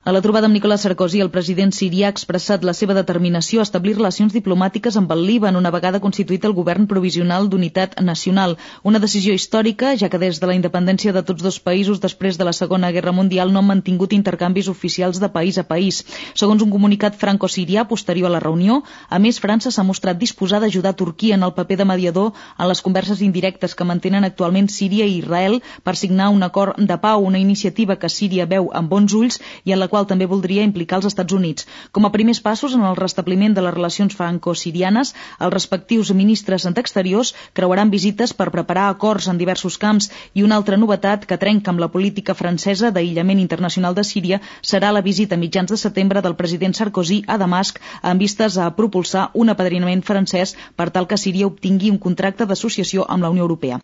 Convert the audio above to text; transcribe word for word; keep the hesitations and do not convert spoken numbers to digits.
A la trobada amb Nicolas Sarkozy, el president sirià ha expressat la seva determinació a establir relacions diplomàtiques amb el Líban una vegada constituït el govern provisional d'unitat nacional. Una decisió històrica, ja que des de la independència de tots dos països després de la Segona Guerra Mundial no han mantingut intercanvis oficials de país a país. Segons un comunicat franco-sirià posterior a la reunió, a més, França s'ha mostrat disposada a ajudar Turquia en el paper de mediador en les converses indirectes que mantenen actualment Síria i Israel per signar un acord de pau, una iniciativa que Síria veu amb bons ulls i en la qual també voldria implicar els Estats Units. Com a primers passos en el restabliment de les relacions franco-sirianes, els respectius ministres d'Exteriors creuaran visites per preparar acords en diversos camps i una altra novetat que trenca amb la política francesa d'aïllament internacional de Síria serà la visita a mitjans de setembre del president Sarkozy a Damasc amb vistes a propulsar un apadrinament francès per tal que Síria obtingui un contracte d'associació amb la Unió Europea.